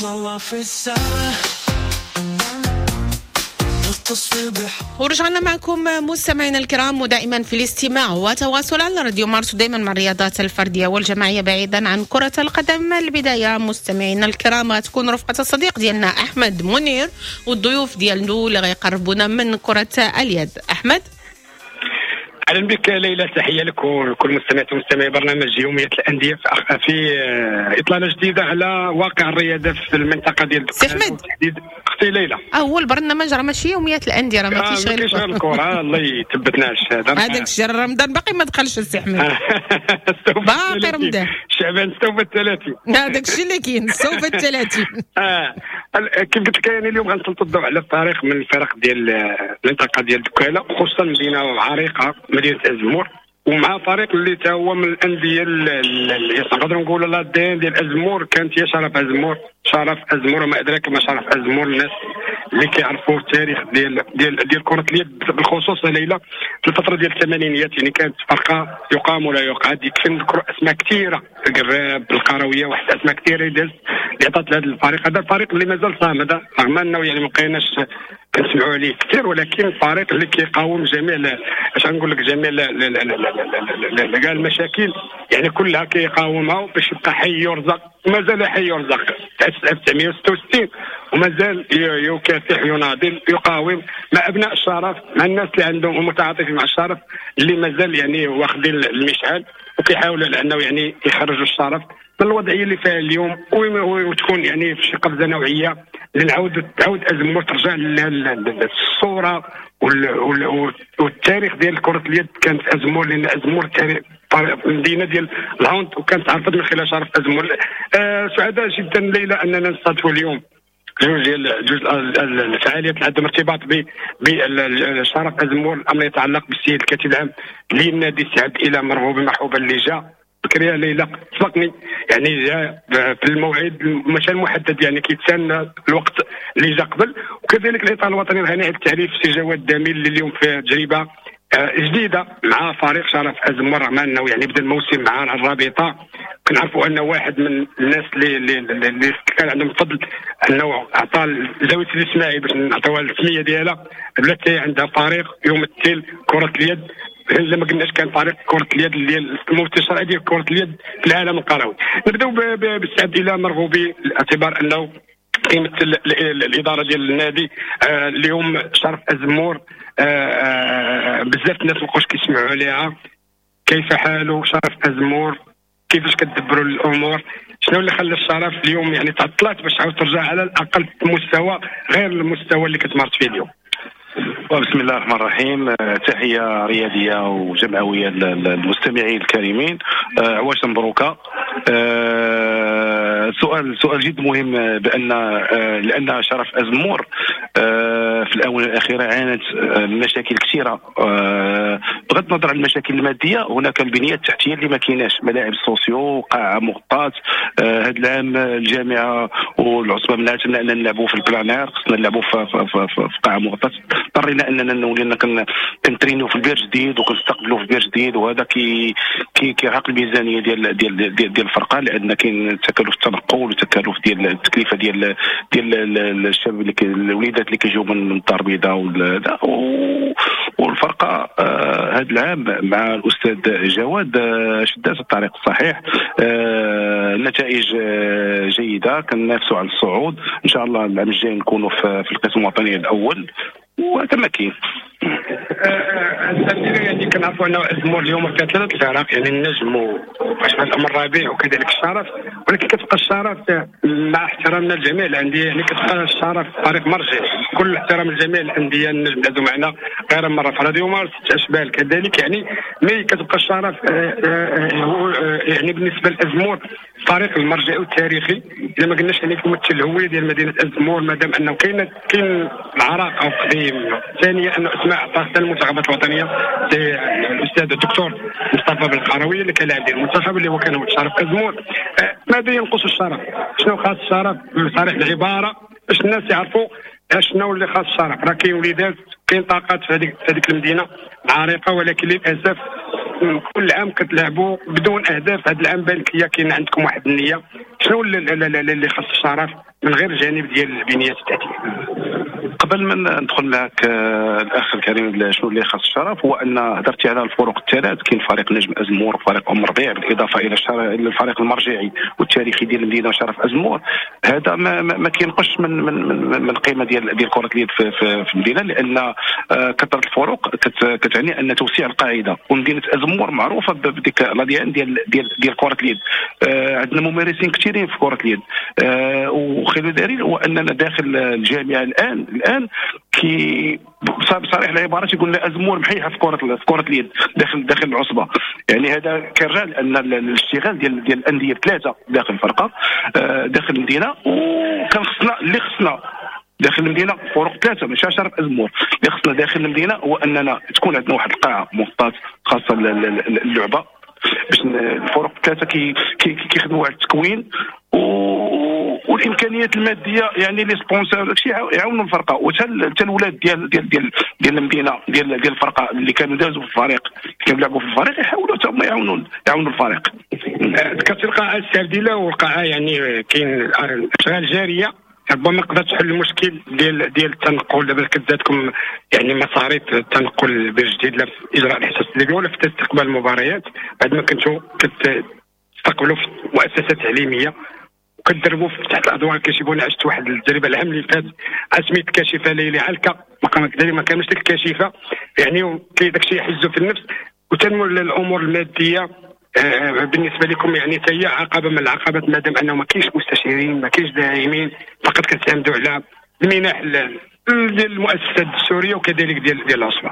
نطلع في السما نغطس في بحر. ورجعنا معكم مستمعينا الكرام، ودائما في الاستماع وتواصل على راديو مارس، ودائما مع الرياضات الفردية والجماعيه بعيدا عن كره القدم. البداية مستمعينا الكرام تكون رفقه الصديق ديالنا احمد منير والضيوف ديالنا اللي غيقربونا من كره اليد. احمد، اهلا بك ليلى، تحية لك ولكل مستمعات ومستمعي برنامج يومية الاندية في اطلالة جديدة على واقع الرياضة في المنطقة ديال سي احمد. اختي ليلى، اول برنامج راه ماشي يوميات الاندية، راه ما كاينش غير الكره. الله يثبتنا على الشهادة. هذاك الشيء رمضان باقي ما دخلش السي احمد، باقي رمضان شعبان استوفى 30، هذاك الشيء اللي كاين استوفى 30. كيف قلت لك يعني اليوم غنسلطوا الضوء على فريق من الفرق ديال المنطقة ديال دكاله، خصوصا مدينة عريقة مدينة ازمور، ومع فريق اللي تا هو من الاندية اللي نقدروا نقولوا l'ADN ديال ازمور كانت هي شرف ازمور. شرف ازمور وما ادراك ما شرف ازمور، الناس اللي كيعرفوا التاريخ ديال ديال ديال كره اليد بالخصوص ليلى في الفترة ديال الثمانينيات، يعني كانت فرقه يقام ولا يقعد. يكفي نذكروا اسماء كثيرة، القراب القرويه، واحد الاسماء كثيرة اللي عطات لهذا الفريق. هذا الفريق اللي مازال صامد رغم انه يعني ما بقيناش كنسمعوا عليه كثير، ولكن الفريق اللي كيقاوم جميع اش غنقول لك جميع كاع المشاكل يعني كلها كيقاومها باش يبقى حي يرزق، ومازال حي يرزق تاسس 1966 ومازال يكافح يناضل يقاوم مع ابناء الشرف، مع الناس اللي عندهم المتعاطفين مع الشرف اللي مازال يعني واخدين المشعل وكيحاولوا على انه يعني يخرجوا الشرف من الوضعية اللي فيها اليوم، وتكون يعني في شي قفزه نوعية لنعاود تعاود ازمور ترجع للصورة والتاريخ ديال كره اليد. كانت ازمور لان ازمور المدينة ديال ال hand وكانت عرفت من خلال شرف ازمور. سعداء جدا ليلى اننا نستضيفوا اليوم جوج ديال جوج الفعاليات اللي عندهم ارتباط بشرف ازمور. الامر يتعلق بالسيد الكاتب العام للنادي السعد الى مرغوب مرحوبا اللي جا بكري ليلى سبقني، يعني جا في الموعد ماشي المحدد، يعني كيتسنى الوقت اللي جا قبل. وكذلك الاطار الوطني الغني عن التعريف سي جواد داميل اللي اليوم في تجربه جديدة مع فريق شرف ازمور، رغم انه يعني بدا الموسم مع الرابطة. كنعرفوا انه واحد من الناس اللي كان عندهم فضل انه عطى زاوية الاسماعيل باش نعطيوها السمية ديالها، بلات عندها فريق يمثل كره اليد. لما قلناش كان فريق كره اليد اللي الممثل الشرعي ديال كره اليد في العالم القروي. نبداو بالسعد الى مرغوبي باعتبار انه كيمثل الادارة ديال النادي. اليوم شرف ازمور بزاف الناس مابقاوش كيسمعوا عليها. كيف حاله شرف ازمور؟ كيفاش كتدبروا الامور؟ شنو اللي خلى الشرف اليوم يعني تعطلات باش تعاود ترجع على الاقل في مستوى غير المستوى اللي كتمارس فيه اليوم؟ بسم الله الرحمن الرحيم. تحية رياضية وجمعويه للمستمعين الكريمين. عواشر مبروكه. سؤال جد مهم، بان لان شرف ازمور في الاونة الاخيرة عانت مشاكل كثيرة. بغض النظر عن المشاكل المادية، هناك البنية التحتية اللي ما كايناش، ملاعب sociaux، قاعة مغطاة. هذا العام الجامعة والعصبه منعتنا ان نلعبوا في ال plein air، خصنا نلعبوا في قاعة مغطاة. اضطرينا اننا ولينا كنترينيو في البير جديد وكنستقبلوا في البير جديد، وهذا كيرهق الميزانية ديال ديال ديال الفرقة، لان كاين تكاليف التنقل وتكاليف ديال التكلفة ديال ديال الشباب اللي الوليدات اللي كيجيو من الدار البيضاء والفرقة. هذا العام مع الاستاذ جواد شدات الطريق الصحيح، النتائج جيدة، كننافسوا على الصعود ان شاء الله. العام الجاي نكونوا في القسم الوطني الاول، وهذا ما كاين. يعني كنعرفوا انه ازمور اليوم فيها ثلاث الفرق، يعني النجم واشبال الامر الرابع وكذلك الشرف، ولكن كتبقى الشرف مع احترامنا لجميع الاندية، يعني كتبقى الشرف فريق مرجع، كل احترام لجميع الاندية. النجم دازوا معنا غير مرة في راديو مارس، اشبال كذلك، يعني mais كتبقى الشرف يعني بالنسبة لازمور فريق المرجع التاريخي، اذا ما قلناش يعني كيمثل الهوية ديال مدينة ازمور، مادام انه كاين العراق او قديم. ثانيا انه اسماء عطاه حتى المنتخبات الوطنية، الاستاذ الدكتور مصطفى بالقروي اللي كان لاعب ديال المنتخب اللي هو كان هو شرف ازمور. ماذا ينقص الشرف؟ شنو خاص الشرف بصريح العبارة باش الناس يعرفوا شنو اللي خاص الشرف؟ راه كاين وليدات، كاين طاقات في هذيك المدينة عريقة، ولكن للاسف كل عام كتلعبوا بدون اهداف، هذا العام بالك هي كاين عندكم واحد النية، شنو اللي خاص الشرف من غير الجانب ديال البنيات التحتية؟ قبل ما ندخل معك الاخ الكريم شنو اللي خاص الشرف، هو ان هضرتي على الفرق الثلاث، كاين فريق نجم ازمور وفريق ام ربيع، بالاضافة الى الفريق المرجعي والتاريخي ديال المدينة شرف ازمور. هذا ما كينقصش من من من, من القيمة ديال كره اليد في المدينة، لان كثرة الفرق كتعني ان توسيع القاعدة، ومدينة ازمور معروفة بديك l'ADN ديال ديال ديال كره اليد. عندنا ممارسين كثيرين في كره اليد، وخير دليل هو اننا داخل الجامعة الان كي بصريح العبارة تيقول لنا ازمور محيحه في كره اليد داخل العصبة. يعني هذا كيرجع لان الاشتغال ديال الاندية ثلاثة داخل الفرقة داخل المدينة، وكان خصنا اللي خصنا داخل المدينة فرق ثلاثة ماشي شرف ازمور، اللي خصنا داخل المدينة هو اننا تكون عندنا واحد القاعة مغطاة خاصة اللعبة، باش الفرق الثلاثة كيخدموا على التكوين والامكانيات المادية، يعني les sponsors داكشي يعاونوا الفرقة، وحتى الولاد ديال ديال ديال ديال المدينة ديال الفرقة اللي كانوا دازوا في الفريق، كانوا يلعبوا في الفريق، يحاولوا حتى هما يعاونوا الفريق. ذكرت القاعة السرديله، والقاعه يعني كاين اشغال جارية ربما تقدر تحل المشكل ديال التنقل. دابا كتزادكم يعني مصاريف التنقل بالجديد لا في اجراء الحصص التدريبية ولا في استقبال المباريات، بعد ما كنتو كتستقبلوا في مؤسسات تعليمية وكتدربوا تحت الاضواء الكاشفة. عشت واحد التجربة العام اللي فات سميت الكاشفة ليلي علكه، ما كانوش ديك الكاشفة، يعني داك الشيء يحزوا في النفس. وتنمو الامور المادية بالنسبة لكم، يعني حتى هي عقبه من العقبات، مادام انه ما كاينش مستشارين، ما كاينش داعمين، فقط كتعتمدوا على المنح ديال المؤسسات الدستورية وكذلك ديال العصبة.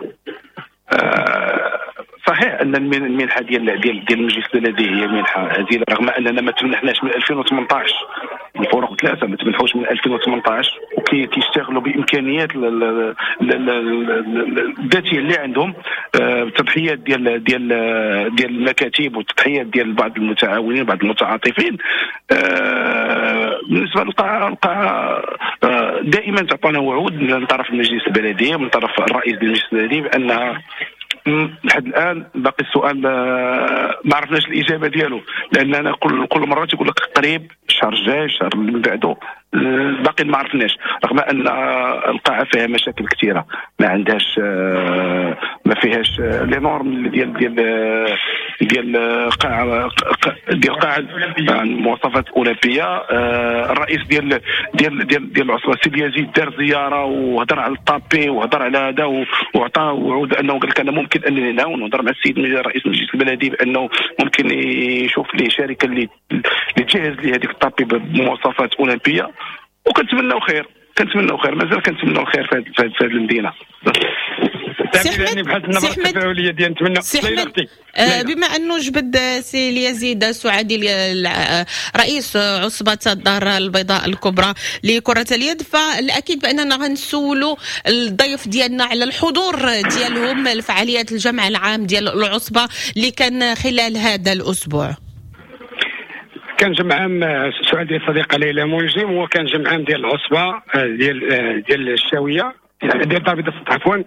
صحيح ان المنحة ديال ديال ديال المجلس البلدي هي منحه هزيلة، رغم اننا ما تمنحناش من 2018، الفرق ثلاثة ما تمنحوش من 2018، وكيشتغلوا بامكانيات الذاتية اللي عندهم، التضحيات ديال ديال ديال المكاتب والتضحيات ديال بعض المتعاونين بعض المتعاطفين. بالنسبة للقاعه، القاعة دائما تعطانا وعود من طرف المجلس البلدي ومن طرف الرئيس ديال المجلس البلدي بانها لحد الان باقي السؤال ما عرفناش الاجابة ديالو، لاننا كل مرة تيقول لك قريب الشهر الجاي الشهر اللي من بعده، باقي ما عرفناش، رغم ان القاعة فيها مشاكل كثيرة، ما عندهاش ما فيهاش les normes ديال ديال ديال قاعة ديال قاعة مواصفات اولمبيه. الرئيس ديال ديال ديال ديال العصبة سي اليزيد دار زيارة وهضر على ال tapis وهضر على هذا، وعطى وعود انه قال لك انا ممكن انني نعاون، وهضر مع السيد رئيس المجلس البلدي بانه ممكن يشوف لي شركة اللي تجهز لي هذيك ال tapis بمواصفات اولمبيه. وكنتمناو خير، كنتمناو خير، مازال كنتمناو الخير في هذه المدينة. سي احمد، بما انه جبد سي اليزيد السعادي رئيس عصبه الدار البيضاء الكبرى لكرة اليد، فالاكيد باننا غنسولوا الضيف ديالنا على الحضور ديالهم لفعاليات الجمع العام ديال العصبة اللي كان خلال هذا الاسبوع. كان جمع عام، سؤال ديال الصديقة ليلى منجم، هو كان جمع عام ديال العصبة ديال الشاويه ديال الدار البيضاء عفوا.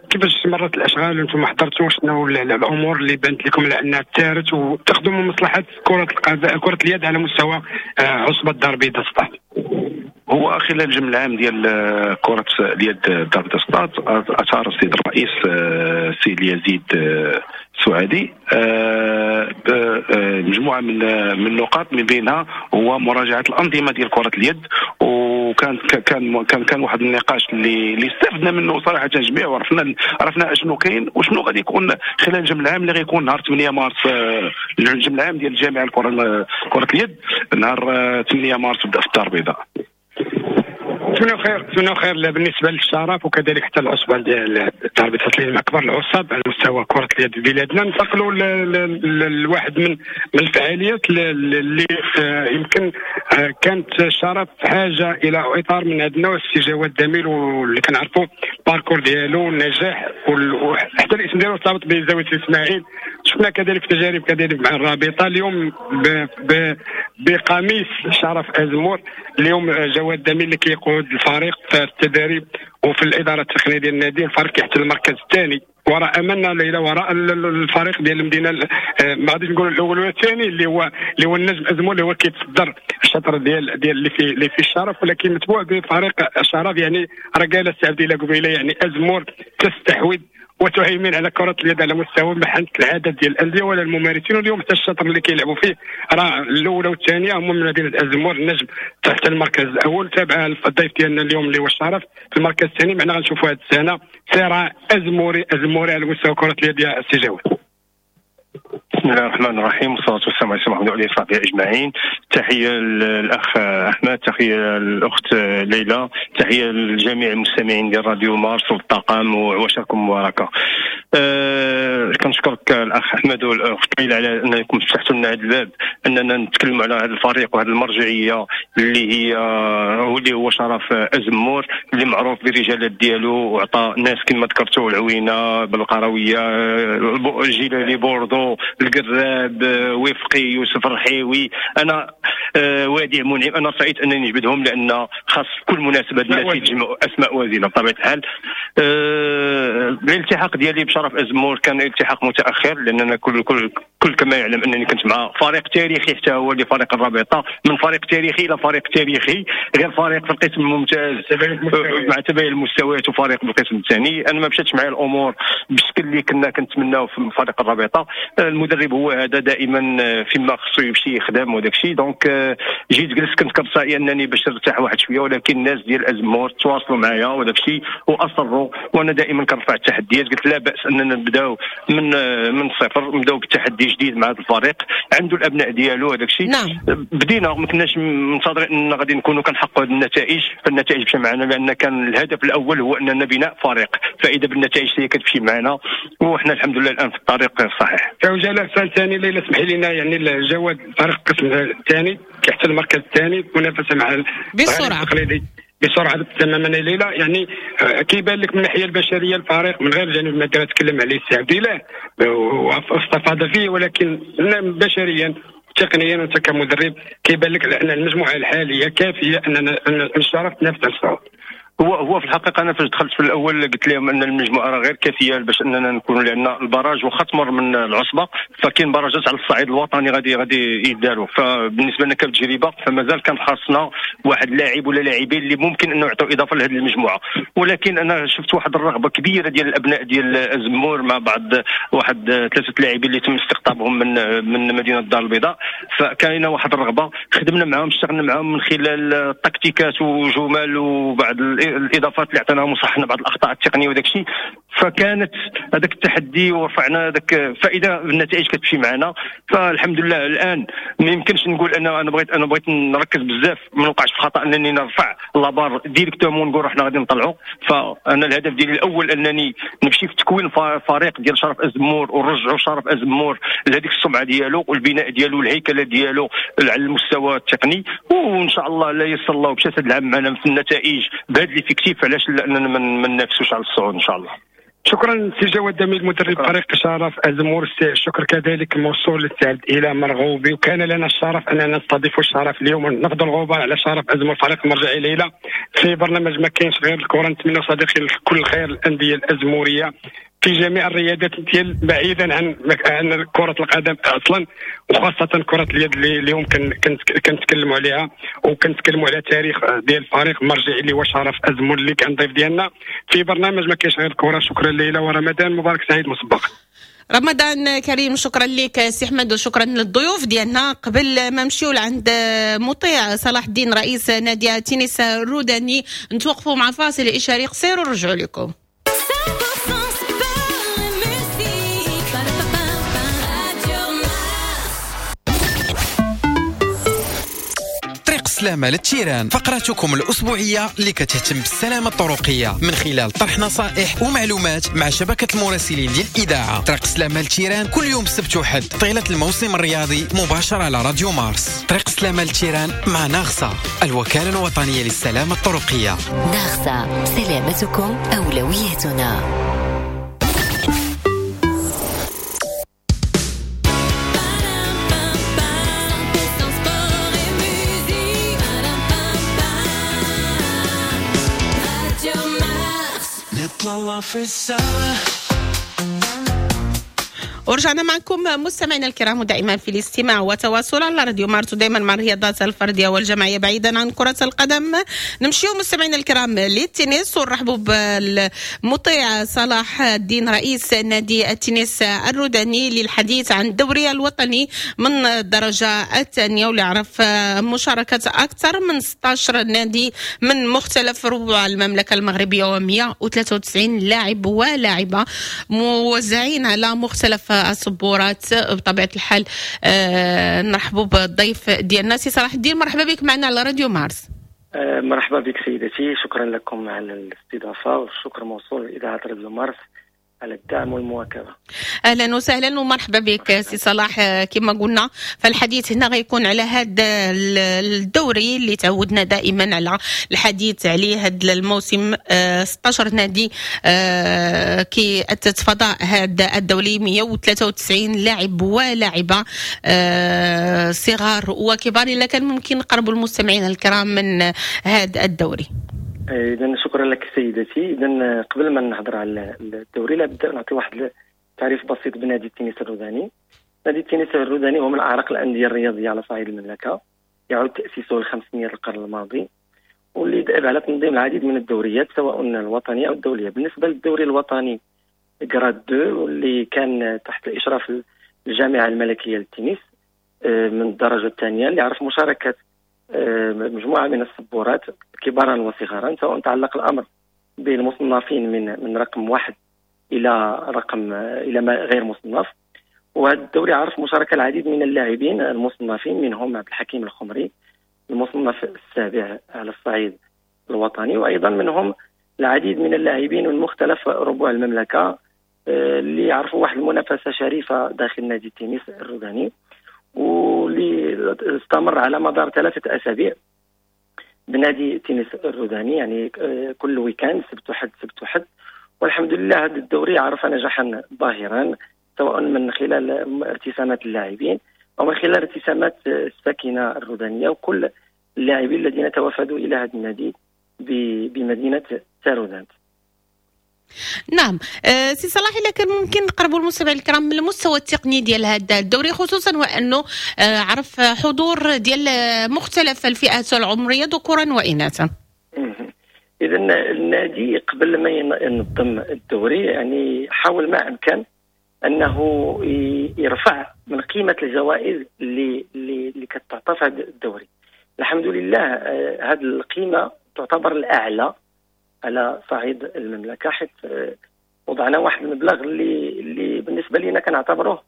كيفاش مرت الاشغال وانتم حضرتوا؟ شنو الامور اللي بانت لكم لانها تارت وتخدموا مصلحة كره اليد على مستوى عصبه الدار البيضاء سطات؟ هو خلال الجمع العام ديال كره اليد الدار البيضاء سطات اثار السيد الرئيس السيد اليزيد السعادي مجموعة من النقاط، من بينها هو مراجعه الانظمة ديال كره اليد، وكان كان كان كان واحد النقاش اللي استفدنا منه صراحة جميع، وعرفنا اشنو كاين وشنو غادي يكون خلال الجمع العام اللي غيكون نهار 8 مارس، الجمع العام ديال الجامعة كره اليد نهار 8 مارس في الدار البيضاء. نتمنى خير بالنسبة للشرف وكذلك حتى العصبة ديال الدار البيضاء من اكبر العصب على مستوى كره اليد بلادنا. ننتقلوا لواحد من الفعاليات اللي يمكن كانت الشرف حاجة الى اطار من هذا النوع، السي جواد دميل واللي كنعرفوا ال parcours ديالو النجاح وحتى الاسم ديالو ارتبط بزاوية اسماعيل. شفنا كذلك تجارب كذلك مع الرابطة اليوم بقميص شرف ازمور. اليوم جواد دميل اللي كيقود الفريق في التدريب وفي الادارة التقنية ديال النادي، الفريق كيحتل المركز الثاني وراء املنا ليلى، وراء الفريق ديال المدينة، ما غاديش نقول الاول ولا الثاني، اللي هو النجم ازمور اللي هو كيتصدر الشطر ديال اللي في الشرف، ولكن متبوع بفريق الشرف. يعني راه قال السي عبد الله قبيلة يعني ازمور تستحوذ وتهيمن على كرة اليد على مستوى محنة العدد ديال الأندية ولا الممارسين. واليوم حتى الشطر اللي كيلعبوا فيه راه الأولى والثانية هما من مدينة أزمور، النجم تحت المركز الأول، تابع الضيف ديالنا اليوم اللي هو الشرف في المركز الثاني. معنا غنشوفوا هذه السنة صراع أزموري أزموري على مستوى كرة اليد يا السي جواد. بسم الله الرحمن الرحيم، والصلاة والسلام على سيدنا محمد وعلى آله وصحبه أجمعين. تحية للأخ أحمد، تحية للأخت ليلى، تحية لجميع المستمعين ديال راديو مارس والطاقم، وعواشركم مباركة. كنشكرك الأخ أحمد والأخت ليلى على أنكم فتحتوا لنا هذا الباب أننا نتكلموا على هذا الفريق وهذه المرجعية اللي هي اللي هو شرف أزمور، اللي معروف بالرجالات ديالو وعطى ناس كما ذكرتوا العوينة، بالقروية، الجيلالي، بوردو، القراب، وفقي، يوسف الرحيوي، انا وادي منعم. انا سعيد انني نجبدهم لان خاص كل مناسبة الناس يتجمعوا اسماء وازنه بطبيعة الحال. الالتحاق ديالي بشرف ازمور كان التحاق متاخر، لاننا كل كما يعلم انني كنت مع فريق تاريخي حتى هو اللي فريق الرابطة، من فريق تاريخي الى فريق تاريخي، غير فريق في القسم الممتاز مع تباين المستويات وفريق بالقسم الثاني. انا ما مشاتش معايا الامور بالشكل اللي كنا كنتمناو في فريق الرابطة. المدرب هو هذا دائما فيما خصو يمشي يخدم وداك الشيء. donc جيت جلست كنت كنصائي انني باش نرتاح واحد شوية، ولكن الناس ديال ازمور تواصلوا معايا وداك الشيء واصروا، وانا دائما كنرفع التحديات. قلت لا باس اننا نبداو من الصفر، نبداو بالتحدي جديد مع هذا الفريق، عنده الابناء ديالو هذاك الشيء. نعم. بدينا ما كناش منتظرين ان غادي نكونوا كنحققوا هذه النتائج، فالنتائج مشى معنا لان كان الهدف الاول هو اننا بناء فريق، فاذا بالنتائج هي كتمشي معنا وحنا الحمد لله الان في الطريق الصحيح. عجالة سؤال ثاني ليلى، اسمحي لنا، يعني الجواد فريق القسم الثاني كيحتل المركز الثاني، منافسه مع بسرعة بسرعة تماما ليلى. يعني كيبان لك من الناحية البشرية الفريق من غير جانب المادي تكلم عليه السي عبد الله واستفاد فيه، ولكن بشريا تقنيا وانت كمدرب كيبان لك ان المجموعة الحالية كافيه اننا الشرف تنافس على الصعود. هو في الحقيقة انا فاش دخلت في الاول قلت لهم ان المجموعة راه غير كافيه باش اننا نكونوا، لان ال barrage واخا تمر من العصبة فكاين باراجات على الصعيد الوطني غادي يداروا. فبالنسبه لنا كتجربة فمازال كان خاصنا واحد لاعب ولا لاعبين اللي ممكن انه يعطوا اضافه لهذه المجموعة. ولكن انا شفت واحد الرغبة كبيرة ديال الابناء ديال ازمور مع بعض واحد 3 لاعبين اللي تم استقطابهم من مدينة الدار البيضاء، فكاينه واحد الرغبة، خدمنا معاهم، اشتغلنا معاهم من خلال التكتيكات وجمل وبعض الاضافات اللي عطيناهم وصحنا بعض الاخطاء التقنية وداك الشيء. فكانت هذاك التحدي ورفعنا هذاك، فاذا النتائج كتمشي معنا فالحمد لله. الان ما يمكنش نقول انا بغيت نركز بزاف، ما نوقعش في الخطا انني نرفع la barre directement ونقول حنا غادي نطلعوا. فانا الهدف ديالي الاول انني نمشي في تكوين فريق ديال شرف ازمور ونرجعوا شرف ازمور لهذيك السمعة ديالو والبناء ديالو والهيكله ديالو على المستوى التقني، وان شاء الله لا يسر الله ومشات هذا العام معنا في النتائج بهذا l'effectif، علاش لاننا ما ننافسوش على الصعود ان شاء الله. شكرا سي جواد دميل مدرب فريق شرف ازمور. الشكر كذلك موصول للسي عبد الاله مرغوبي، وكان لنا الشرف اننا نستضيف الشرف اليوم ونفضل الغبار على شرف ازمور فريق المرجعي ليلى في برنامج ما كاينش غير الكره. نتمنى صديقي كل الخير للاندية الازموريه في جميع الرياضات ديال بعيدا عن كرة القدم اصلا، وخاصة كرة اليد اللي اليوم كنتكلموا عليها، وكنتكلموا على تاريخ ديال الفريق المرجعي اللي هو شرف ازمور اللي كان ضيف ديالنا في برنامج ما كاينش غير الكرة. شكرا ليلى ورمضان مبارك سعيد مسبقا. رمضان كريم. شكرا لك سي احمد وشكرا للضيوف ديالنا. قبل ما نمشيو لعند مطيع صلاح الدين رئيس نادي تنس الروداني نتوقفوا مع فاصل اشاري قصير ونرجعوا لكم. السلامة للتيران، فقرتكم الأسبوعية اللي كتهتم بالسلامة الطرقية من خلال طرح نصائح ومعلومات مع شبكة المراسلين ديال الإذاعة. طريق السلامة للتيران كل يوم سبت وحد طيلة الموسم الرياضي مباشرة على راديو مارس. طريق السلامة للتيران مع ناغسا، الوكالة الوطنية للسلامة الطرقية. ناغسا، سلامتكم أولويتنا. نطلع في السما ورجعنا معكم مستمعينا الكرام، ودائما في الاستماع وتواصل على راديو مارس، ودائما مع الرياضات الفردية والجماعيه بعيدا عن كره القدم. نمشيو مستمعينا الكرام للتنس ونرحبوا بالمطيع صلاح الدين رئيس نادي التنس الروداني للحديث عن الدوري الوطني من الدرجة الثانية، واللي عرف مشاركة اكثر من 16 نادي من مختلف ربوع المملكة المغربية و193 لاعب ولاعبه موزعين على مختلف الصبورات. بطبيعة الحال نرحبوا بالضيف ديالنا سي صلاح الدين، مرحبا بك معنا على راديو مارس. مرحبا بك سيدتي، شكرا لكم على الاستضافة والشكر موصول لاذاعة راديو مارس على الدعم والمواكبه. اهلا وسهلا ومرحبا بك سي صلاح. كما قلنا فالحديث هنا غيكون على هذا الدوري اللي تعودنا دائما على الحديث عليه هذا الموسم. 16 نادي كي اتت فضاء هذا الدوري، 193 لاعب ولاعبه صغار وكبار. الا كان ممكن نقربوا المستمعين الكرام من هذا الدوري. اذا شكرا لك سيدتي. اذا قبل ما نهضر على الدوري لابد نعطي واحد تعريف بسيط بنادي التنس الروداني. نادي التنس الروداني هو من اعرق الاندية الرياضية على صعيد المملكة، يعود تاسيسه لخمسينيات القرن الماضي، واللي دأب على تنظيم العديد من الدوريات سواء الوطنية او الدولية. بالنسبة للدوري الوطني grade 2 واللي كان تحت اشراف الجامعة الملكية للتنس من الدرجة الثانية، اللي عرف مشاركة مجموعة من الصبورات كبارا وصغارا، سواء تعلق الامر بالمصنفين من رقم 1 الى رقم الى ما غير مصنف. وهذا الدوري عرف مشاركة العديد من اللاعبين المصنفين، منهم عبد الحكيم الخمري المصنف السابع على الصعيد الوطني، وايضا منهم العديد من اللاعبين من مختلف ربوع المملكة اللي عرفوا واحد المنافسة شريفه داخل نادي التنس الروداني، واللي استمر على مدار 3 أسابيع بنادي التنس الروداني، يعني كل week-end سبت وحد سبت وحد. والحمد لله هذا الدوري عرف نجاحا باهرا، سواء من خلال ارتسامات اللاعبين او من خلال ارتسامات الساكنة الرودانيه وكل اللاعبين الذين توافدوا الى هذا النادي بمدينة تارودانت. نعم سي صلاح، الا كان ممكن نقربوا المستمعين الكرام من المستوى التقني ديال هذا الدوري، خصوصا وانه عرف حضور ديال مختلف الفئات العمرية ذكورا واناثا. اذا النادي قبل ما ينظم الدوري يعني حاول ما امكن انه يرفع من قيمة الجوائز اللي كتعطى في هذا الدوري. الحمد لله هذه القيمة تعتبر الاعلى على صعيد المملكة، حيث وضعنا واحد المبلغ اللي بالنسبة لنا كنعتبروه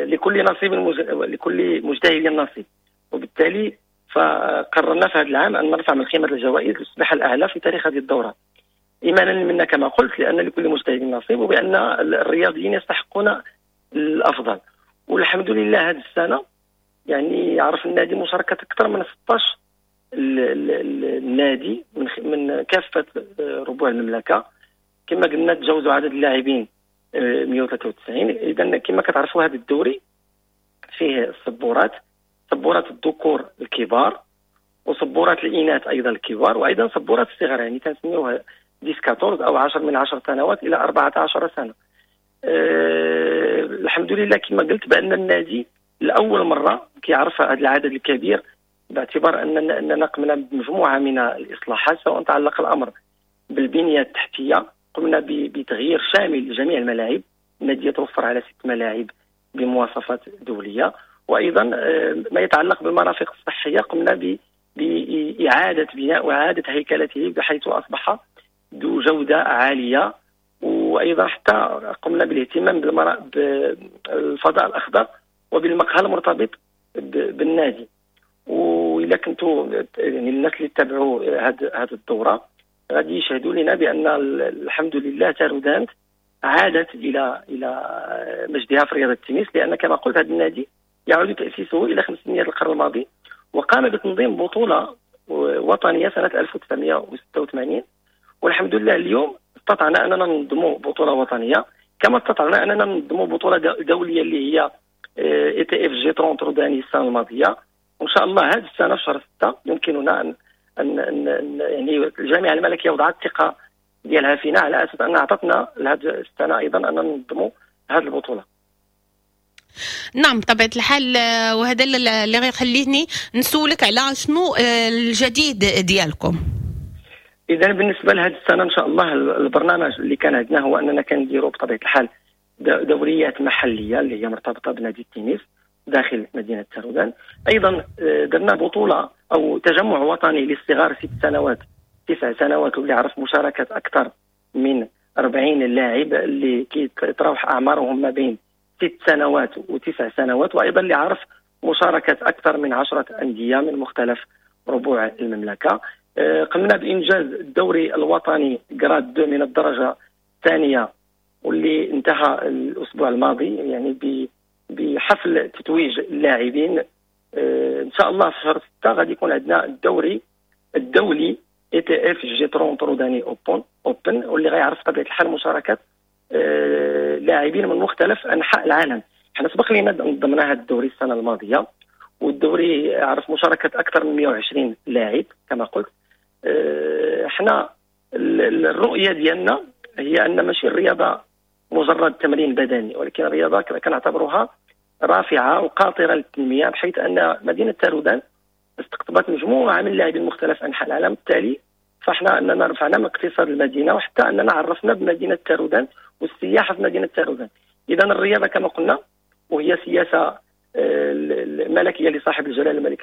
لكل نصيب لكل مجتهد نصيب، وبالتالي فقررنا في هذا العام ان نرفع من قيمة الجوائز لتصبح الاعلى في تاريخ هذه الدورة، ايمانا منا كما قلت لان لكل مجتهد نصيب، وبان الرياضيين يستحقون الافضل. والحمد لله هذه السنة يعني عرف النادي مشاركة اكثر من 16 النادي من كافة ربوع المملكة. كما قلنا تجاوزوا عدد اللاعبين 193. اذا كما كتعرفوا هذا الدوري فيه الصبورات، صبورات الذكور الكبار وصبورات الاناث ايضا الكبار، وايضا صبورات الصغار، يعني تنسميوها 10 14 او 10 من 10 سنوات الى 14 سنة. الحمد لله كما قلت بان النادي لاول مرة كيعرف هذا العدد الكبير، باعتبار اننا قمنا بمجموعه من الاصلاحات، سواء تعلق الامر بالبنيه التحتية، قمنا بتغيير شامل لجميع الملاعب. النادي يتوفر على 6 ملاعب بمواصفات دولية، وايضا ما يتعلق بالمرافق الصحية قمنا باعادة بناء واعاده هيكلته بحيث اصبح ذو جوده عالية، وايضا حتى قمنا بالاهتمام بالفضاء الاخضر وبالمقهى المرتبط بالنادي. وإلا كنتوا يعني الناس اللي تابعوا هذه الدورة غادي يشهدوا لنا بان الحمد لله تارودانت عادت الى مجدها في رياضة التنس، لان كما قلت هذا النادي يعود تاسيسه الى 500 القرن الماضي، وقام بتنظيم بطوله وطنية سنة 1986. والحمد لله اليوم استطعنا اننا ننظموا بطوله وطنية، كما استطعنا اننا ننظموا بطوله دولية اللي هي ITF G 30 روداني السنة الماضية. وان شاء الله هذه السنة في شهر 6 يمكننا ان يعني الجامعة الملكية وضعت الثقة ديالها فينا على اساس ان اعطتنا لهذه السنة ايضا ان ننظموا هذه البطولة. نعم بطبيعة الحال، وهذا اللي غيخليني نسولك على شنو الجديد ديالكم. اذا بالنسبة لهذه السنة ان شاء الله البرنامج اللي كان عندنا هو اننا كنديروا بطبيعة الحال دوريات محليه اللي هي مرتبطة بنادي التنس داخل مدينة تارودان. ايضا درنا بطوله او تجمع وطني للصغار 6 سنوات 9 سنوات، واللي عرف مشاركة اكثر من 40 لاعب اللي كيتراوح اعمارهم ما بين 6 سنوات و9 سنوات، وايضا اللي عرف مشاركة اكثر من 10 اندية من مختلف ربوع المملكة. قمنا بانجاز الدوري الوطني grade 2 من الدرجة الثانية واللي انتهى الاسبوع الماضي، يعني بحفل تتويج اللاعبين. ان شاء الله في شهر 6 غادي يكون عندنا الدوري الدولي ITF G 30 روداني Open، واللي غيعرف بطبيعة الحال مشاركة لاعبين من مختلف انحاء العالم. حنا سبق لنا نظمنا هذا الدوري السنة الماضية، والدوري عرف مشاركة اكثر من 120 لاعب كما قلت. حنا الرؤية ديالنا هي ان ماشي الرياضة مجرد تمرين بدني، ولكن الرياضة كنعتبروها رافعه وقاطره للتنمية، بحيث ان مدينة تارودان استقطبت مجموعة من اللاعبين من مختلف انحاء العالم. بالتالي فاحنا اننا رفعنا من اقتصاد المدينة، وحتى اننا عرفنا بمدينة تارودان والسياحة في مدينة تارودان. اذا الرياضة كما قلنا وهي سياسة الملكية لصاحب الجلاله الملك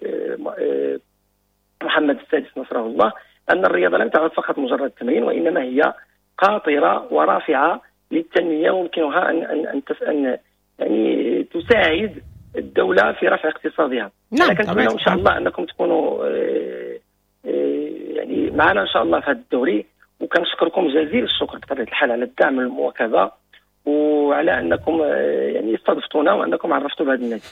محمد السادس نصره الله، ان الرياضة لم تعد فقط مجرد تمرين، وانما هي قاطره ورافعه للتنمية، ويمكنها ان ان ان, يعني تساعد الدولة في رفع اقتصادها. نعم، كنتمنى ان شاء الله انكم تكونوا يعني معنا ان شاء الله في هذا الدوري، وكنشكركم جزيل الشكر بطبيعة الحال على الدعم والمواكبه، وعلى انكم يعني استضفتونا وانكم عرفتوا بهذا النادي.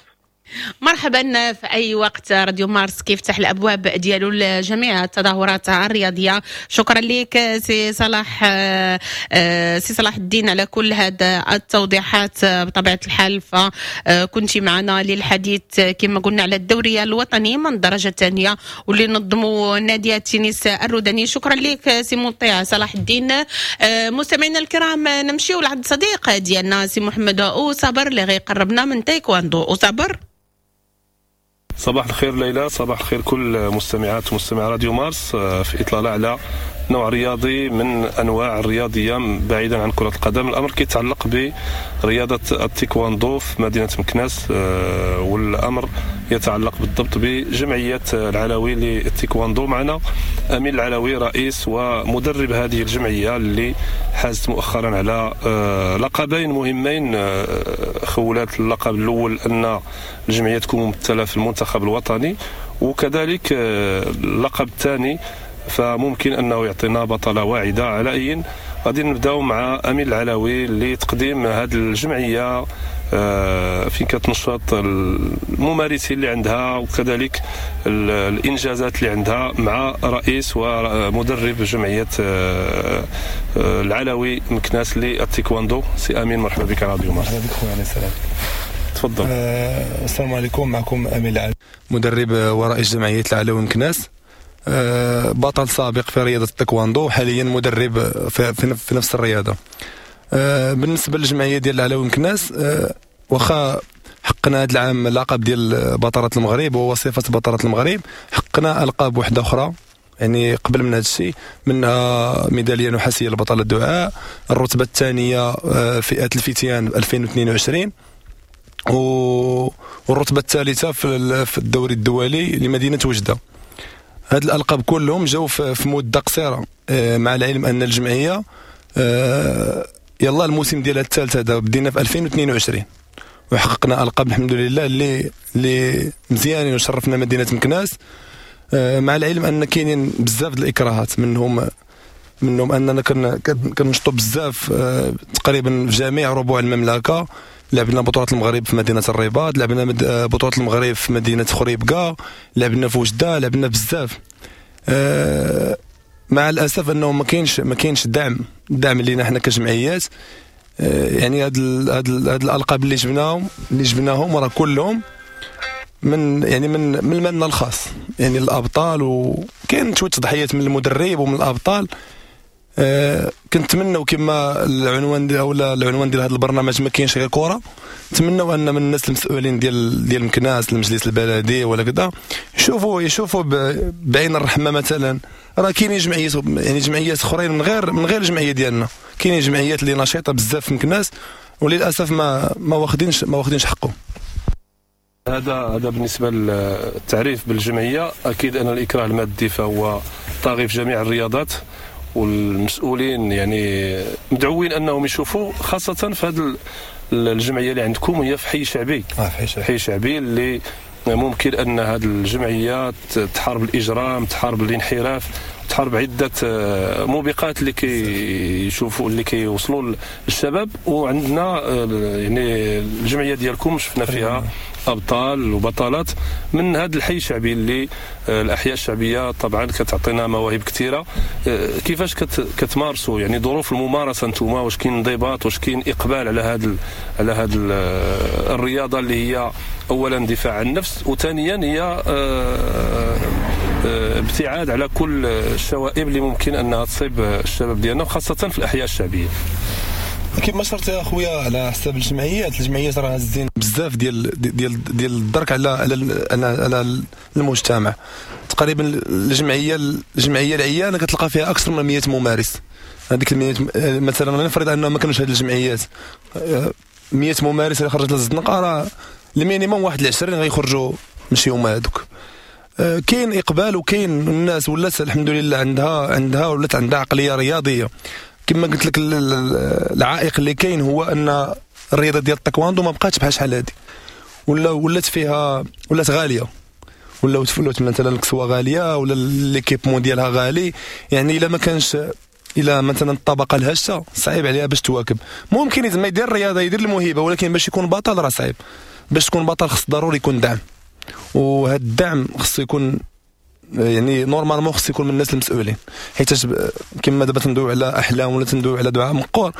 مرحبا في اي وقت. راديو مارس كيفتح الابواب ديالو لجميع التظاهرات الرياضية. شكرا لك سي صلاح، سي صلاح الدين على كل هذه التوضيحات. بطبيعة الحال فكنت معنا للحديث كما قلنا على الدورية الوطنية من الدرجة الثانية واللي نظموا نادي التنس الروداني. شكرا لك سي مطيع صلاح الدين. مستمعينا الكرام، نمشيو لعند صديق ديالنا سي محمد اوصبر اللي غيقربنا من تايكواندو. اوصبر. صباح الخير ليلى، صباح الخير كل مستمعات ومستمع راديو مارس في إطلالة على نوع رياضي من أنواع الرياضية بعيدا عن كرة القدم. الأمر كيتعلق برياضة التايكواندو في مدينة مكناس، والأمر يتعلق بالضبط بجمعية العلوي للتايكواندو. معنا أمين العلوي رئيس ومدرب هذه الجمعية اللي حازت مؤخرا على لقبين مهمين. خولات اللقب الأول أن الجمعية تكون ممثلة في المنتخب الوطني، وكذلك اللقب الثاني فممكن أنه يعطينا بطلة واعدة. على أي غادي نبداو مع أمين العلوي لتقديم هذه الجمعية فين كتنشط الممارسين اللي عندها وكذلك الإنجازات اللي عندها، مع رئيس ومدرب جمعية العلوي مكناس للتايكواندو. سي أمين، مرحبا بك على راديو مارس. مرحبا بك خويا، على السلامة. تفضل. السلام عليكم، معكم أمين العلوي، مدرب ورئيس جمعية العلوي مكناس، بطل سابق في رياضة التايكواندو، حاليا مدرب في نفس الرياضة. بالنسبة للجمعية ديال العلوي مكناس، واخا حقنا هذا العام اللقب ديال بطلة المغرب وهو صفة بطلة المغرب، حقنا ألقاب واحدة أخرى يعني قبل من هذا الشيء، منها ميدالية نحاسية لبطلة الدعاء، الرتبة الثانية فئة الفتيان 2022، والرتبة الثالثة في الدوري الدولي لمدينة وجدة. هاد الألقاب كلهم جاو في مدة قصيرة، مع العلم أن الجمعية يلا الموسم ديالها الثالث هذا بدينا في 2022 وحققنا ألقاب الحمد لله اللي مزيانين وشرفنا مدينة مكناس. مع العلم أن كاينين بزاف د الإكراهات، منهم أننا كنشطو بزاف تقريبا في جميع ربوع المملكة. لعبنا بطولة المغرب في مدينة الرباط، لعبنا بطولة المغرب في مدينة خريبكا، لعبنا في وجدة، لعبنا بزاف. مع الأسف أنه ما كاينش الدعم اللي حنا كجمعيات. يعني هاد الألقاب اللي جبناهم راه كلهم من يعني من المن الخاص، يعني الأبطال، وكاين شوية تضحيات من المدرب ومن الأبطال. كنتمنوا كما العنوان ديال ولا العنوان ديال هذا البرنامج ما كاينش غير كره، نتمنوا ان من الناس المسؤولين ديال مكناس، المجلس البلدي ولا كذا، يشوفوا بعين الرحمة. مثلا راه كاينين جمعيات، يعني جمعيات اخرين من غير الجمعية ديالنا، كاينين جمعيات اللي نشيطه بزاف في مكناس وللاسف ما واخدينش حقهم. هذا بالنسبة للتعريف بالجمعيه. اكيد ان الاكراه المادي فهو طاغي في جميع الرياضات، والمسؤولين يعني مدعوين انهم يشوفوا، خاصة في هذه الجمعية اللي عندكم هي في حي شعبي. حي شعبي اللي ممكن ان هذه الجمعية تحارب الاجرام، تحارب الانحراف، تحارب عده موبقات اللي كيشوفوا اللي كيوصلوا للشباب. وعندنا يعني الجمعية ديالكم شفنا فيها ابطال وبطلات من هذا الحي الشعبي اللي الاحياء الشعبية طبعا كتعطينا مواهب كثيرة. كيفاش كتمارسوا يعني ظروف الممارسة نتوما؟ واش كاين انضباط؟ واش كاين اقبال على هذا الرياضة اللي هي اولا دفاع عن النفس، وثانيا هي ابتعاد على كل الشوائب اللي ممكن انها تصيب الشباب ديالنا وخاصة في الاحياء الشعبية؟ كما شرت يا خويا على حساب الجمعيات راه هازين بزاف ديال ديال ديال الدرك على على على المجتمع. تقريبا الجمعية العيانه كتلقى فيها اكثر من 100 ممارس. هذيك 100 مثلا نفرض انه ما كانوش هذه الجمعيات 100 ممارس اللي خرجت للزنقه، راه ال minimum واحد 20 غيخرجوا ماشي هما هذوك. كاين اقبال وكاين الناس ولات الحمد لله عندها ولات عندها عقلية رياضية. كما قلت لك العائق اللي كاين هو ان الرياضة ديال التايكواندو ما بقاتش بحال شحال هادي، ولا ولات فيها ولات غالية، ولا ولات مثلا الكسوة غالية ولا l'équipement ديالها غالي. يعني الا ما كانش الى مثلا الطبقة الهشه صعيب عليها باش تواكب. ممكن زعما يدير الرياضة يدير الموهبة، ولكن باش يكون بطل راه صعيب. باش تكون بطل خص ضروري يكون دعم، وهذا الدعم خص يكون يعني normalement خص يكون من الناس المسؤولين. حيت كما دابا تندوي على احلام ولا تندوي على دعاء مقور،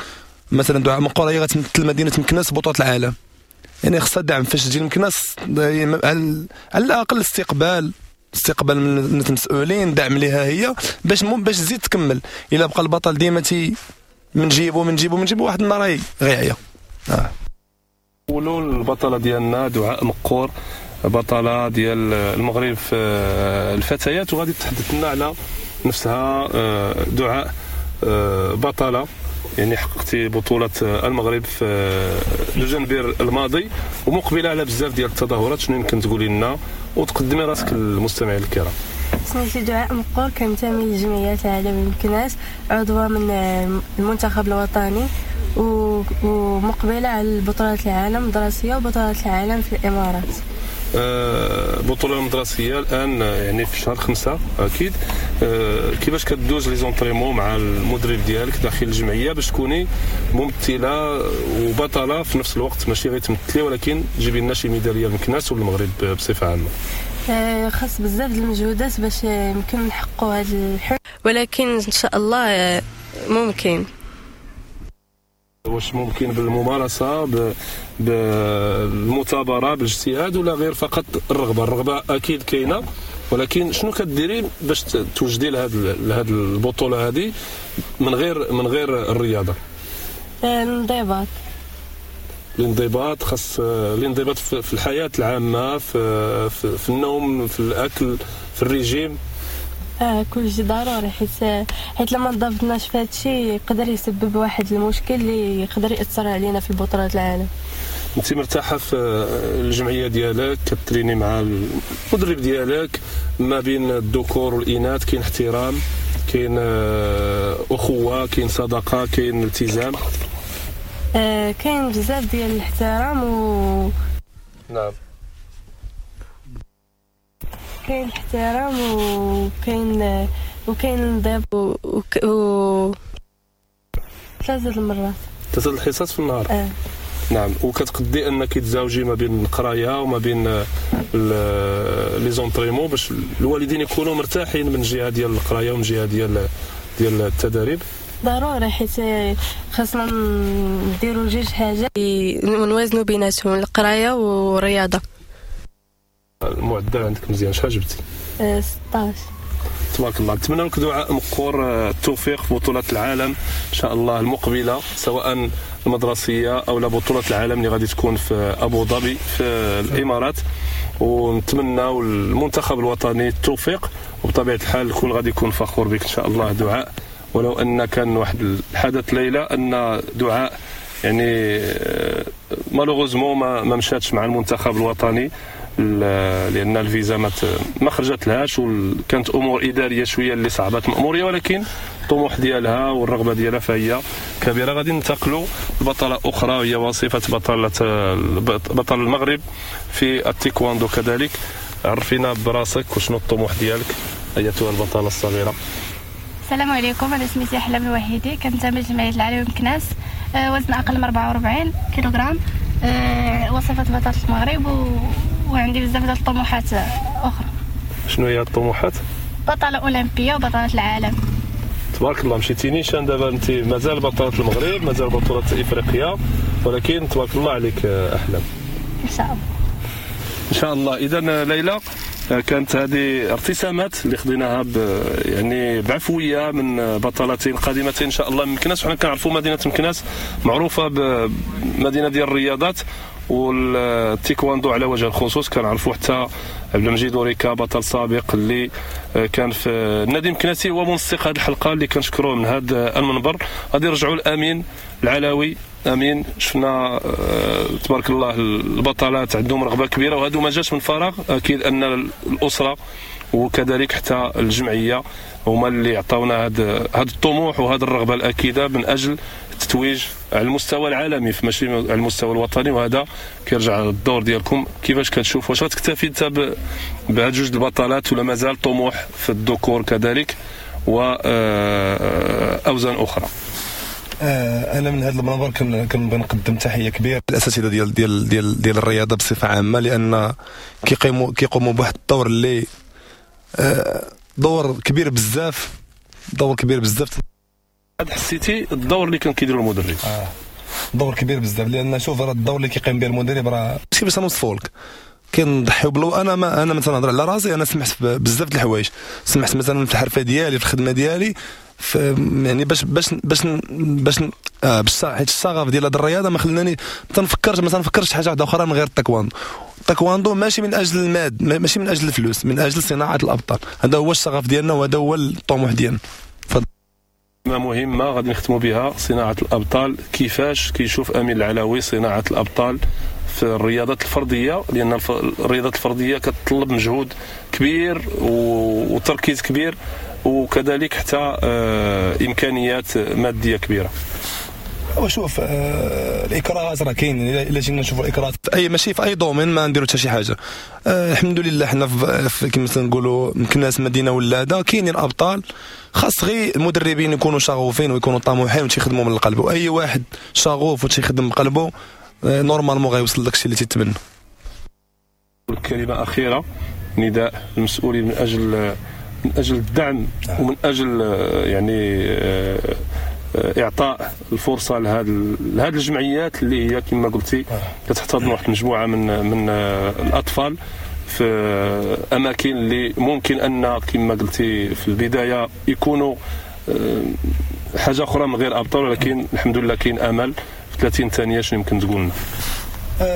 مثلا دعاء مقور هي غتمثل مدينة مكناس بطوله العالم، يعني خصها دعم. فاش تجي لمكناس على الاقل استقبال من الناس المسؤولين، دعم ليها هي باش تزيد تكمل. الا بقى البطل ديما تي من جيبو من جيبو من جيبو، واحد النهار غيعيا. نقولوا البطلة ديالنا دعاء مقور، بطلة ديال المغرب في الفتيات، وغادي تحدث لنا على نفسها. دعاء بطلة يعني حققتي بطوله المغرب في دجنبر الماضي ومقبله على بزاف ديال التظاهرات، شنو يمكن تقولي لنا وتقدمي راسك للمستمعين الكرام؟ سميتي دعاء مقور، كنتمي لجمعية العالم مكناس، عضوة من المنتخب الوطني ومقبله على بطولات العالم المدرسية وبطولات العالم في الامارات. بطولة المدرسية الآن يعني في شهر 5 أكيد. كيفاش كدوز les entraînements مع المدرب ديالك داخل الجمعية باش تكوني ممثلة وبطلة في نفس الوقت، ماشي غير تمثلي ولكن تجيبي لنا شي ميدالية لمكناس والمغرب بصفة عامة؟ خاص بزاف د المجهودات باش يمكن نحققوا هذا الحلم، ولكن إن شاء الله ممكن. واش ممكن بالممارسة، بالمثابره، بالاجتهاد، ولا غير فقط الرغبة؟ الرغبة اكيد كاينه، ولكن شنو كديري باش توجدي لهاد البطولة هذه من غير الرياضة؟ الانضباط. الانضباط خاص الانضباط في الحياة العامة، في النوم، في الاكل، في الريجيم. كلشي ضروري، حيت لما انضبطناش في هادشي يقدر يسبب واحد المشكل اللي يقدر ياثر علينا في البطولات العالم. انت مرتاحة في الجمعية ديالك، كتريني مع المدرب ديالك، ما بين الذكور والاناث كاين احترام، كاين اخوه، كاين صداقه، كاين التزام. كاين بزاف ديال الاحترام و نعم كاين احترام وكاين انضباط و 3 المرات، 3 الحصص في النهار. نعم. وكتقدي انك تزاوجي ما بين القراية وما بين les entraînements باش الوالدين يكونوا مرتاحين من جهة ديال القراية ومن جهة ديال التدريب؟ ضروري، حيت خاصنا نديرو جوج حاجات ونوازنوا بيناتهم، القراية والرياضة. المعدل عندك مزيان، شحال جبتي؟ 16. تبارك الله. نتمنى لك دعاء مقور التوفيق في بطولة العالم ان شاء الله المقبلة، سواء المدرسية او لا بطوله العالم اللي غادي تكون في ابو ظبي في الامارات، ونتمنى المنتخب الوطني التوفيق، وبطبيعة الحال الكل غادي يكون فخور بك ان شاء الله دعاء. ولو ان كان واحد الحدث ليلى ان دعاء يعني malheureusement ما مشاتش مع المنتخب الوطني لان الفيزا ما خرجت لهاش، وكانت امور ادارية شوية اللي صعبت الماموريه، ولكن الطموح ديالها والرغبة ديالها فهي كبيرة. غادي ننتقلوا لبطله اخرى هي وصيفه بطل المغرب في التايكواندو كذلك. عرفينا براسك وشنو الطموح ديالك ايتها البطلة الصغيرة. السلام عليكم، انا سميتي احلام الوحيدي، كنتمي لجمعية العلوي مكناس، وزن اقل من 44 كيلوغرام، وصفه بطلة المغرب، وعندي بزاف ديال الطموحات اخرى. شنو هي الطموحات؟ بطلة اولمبيه وبطله العالم. تبارك الله، مشيتي نيشان دابا، انت مازال بطلة المغرب، مازال بطوله افريقيا، ولكن تبارك الله عليك احلام. ان شاء الله ان شاء الله. اذا ليلى كانت هذه ارتسامات اللي خديناها يعني بعفويه من بطلتين قادمتين ان شاء الله من مكناس. وحنا كنعرفوا مدينة مكناس معروفة بمدينة ديال الرياضات والتايكواندو على وجه الخصوص. كنعرفوا حتى عبد المجيد اوريكا بطل سابق اللي كان في النادي المكناسي هو منسق هذه الحلقة اللي كنشكروه من هذا المنبر. غادي نرجعوا لامين العلاوي. امين، شفنا تبارك الله البطلات عندهم رغبة كبيرة، وهذا ما جاش من فراغ، اكيد ان الاسرة وكذلك حتى الجمعية هما اللي عطاونا هذا الطموح وهذه الرغبة الاكيده من اجل التتويج على المستوى العالمي ماشي على المستوى الوطني. وهذا كيرجع للدور ديالكم، كيفاش كتشوف؟ واش غتكتفي انت بهاد جوج البطلات ولا مازال طموح في الذكور كذلك واوزان اخرى؟ انا من هذا المنبر كنبغي نقدم تحية كبيرة للاساتذه ديال ديال ديال ديال الرياضة بصفة عامة، لان كيقوموا بواحد الدور اللي دور كبير بزاف، دور كبير بزاف. حسيتي الدور اللي كان كيديرو المدرب؟ دور كبير بزاف، لان شوف راه الدور اللي كيقيم به المدرب راه كيفاش نوصفو لك، كنضحيو بلو. انا ما انا مثلا نهضر على راسي، انا سمحت بزاف د الحوايج، سمحت مثلا في الحرفة ديالي، في الخدمة ديالي، يعني باش باش باش باش باش حيت الشغف ديال هذه الرياضة ما خلاني ما تنفكرش حاجة واحدة اخرى من غير التايكواندو. التايكواندو ماشي من اجل الماد، ماشي من اجل الفلوس، من اجل صناعة الابطال. هذا هو الشغف ديالنا وهذا هو الطموح ديالنا. مهمة غادي نختموا بها، صناعة الابطال. كيفاش كيشوف امين العلاوي صناعة الابطال في الرياضات الفردية؟ لان الرياضات الفردية كتطلب مجهود كبير وتركيز كبير، وكذلك حتى امكانيات مادية كبيرة. وشوف الاكراهات راه كاين، الا جينا نشوفوا الاكراهات اي ماشي في اي domaine ما نديرو حتى شي حاجة. الحمد لله حنا كما تنقولوا مكناس مدينة ولاده، كاينين ابطال، خاص غير المدربين يكونوا شغوفين ويكونوا طموحين وتيخدموا من القلب، واي واحد شغوف وتيخدم بقلبه normalement غيوصل داكشي اللي تيتمنى. كلمة اخيرة، نداء المسؤولين من اجل الدعم ومن اجل يعني اعطاء الفرصة لهذه الجمعيات اللي هي كما قلتي كتحتضن واحد المجموعة من الاطفال في اماكن اللي ممكن ان كما قلتي في البداية يكونوا حاجة اخرى من غير ابطال، ولكن الحمد لله كاين امل. في 30 ثانية شنو يمكن تقول لنا؟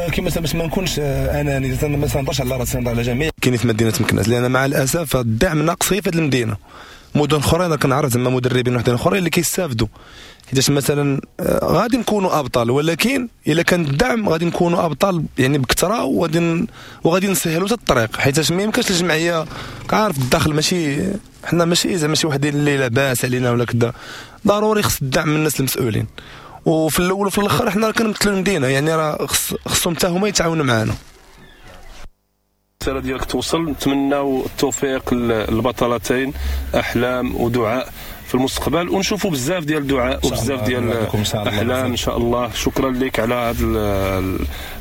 كما باش ما نكونش اناني، ما تنهضرش على راسي، نهضر على جميع كاينين في مدينة مكناس، لان مع الاسف الدعم ناقص في هذه المدينة. مدن اخرى انا كنعرف زعما مدربين وحدين اخرين اللي كيستافدوا، حيتاش مثلا غادي نكونوا ابطال، ولكن الا كان الدعم غادي نكونوا ابطال يعني بكثرة، وغادي نسهلوا حتى الطريق، حيتاش ما يمكنش الجمعية كعارف الدخل ماشي حنا ماشي زعما شي وحدين اللي لاباس علينا ولا كذا، ضروري خص الدعم من الناس المسؤولين. وفي الاول وفي الاخر حنا كنمثلوا المدينة، يعني راه خصهم حتى هما يتعاونوا معنا. الرسالة ديالك توصل، نتمناو التوفيق للبطلتين احلام ودعاء في المستقبل، ونشوفوا بزاف ديال دعاء وبزاف ديال احلام ان شاء الله. شكرا لك على هذا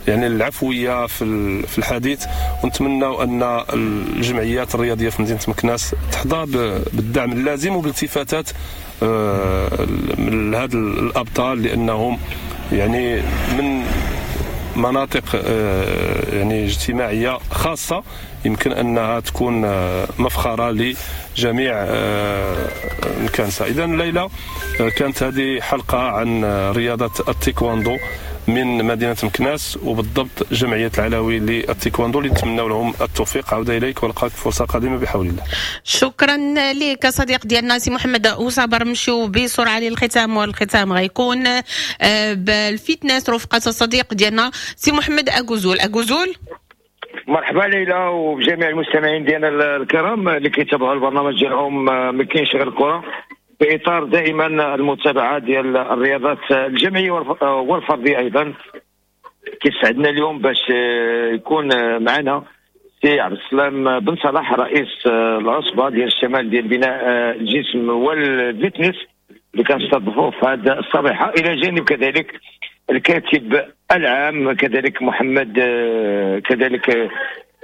يعني العفوية في الحديث، ونتمناو ان الجمعيات الرياضية في مدينة مكناس تحظى بالدعم اللازم وبالتفاتات من هاد الابطال، لانهم يعني من مناطق يعني اجتماعية خاصة يمكن انها تكون مفخرة لجميع المكانسه. اذا ليلى، كانت هذه حلقة عن رياضة التايكواندو من مدينة مكناس، وبالضبط جمعية العلوي للتايكواندو، اللي نتمنى لهم التوفيق. عوده اليك ولقاك فرصة قادمة بحول الله. شكرا لك صديق ديالنا سي محمد وصابر. نمشيو بسرعة للختام، والختام غيكون بال fitness رفقه الصديق ديالنا سي محمد اكوزول. اكوزول. مرحبا ليلى وبجميع المستمعين ديالنا الكرام اللي كيتابعوا البرنامج ديالهم ما كاينش غير الكره، في اطار دائما المتابعة ديال الرياضات الجمعية والفرديه ايضا. كيسعدنا اليوم باش يكون معنا سي عبد السلام بن صلاح، رئيس العصبة ديال الشمال ديال بناء الجسم وال fitness، اللي كنستضيفوه في هذا الصبيحه، الى جانب كذلك الكاتب العام كذلك محمد كذلك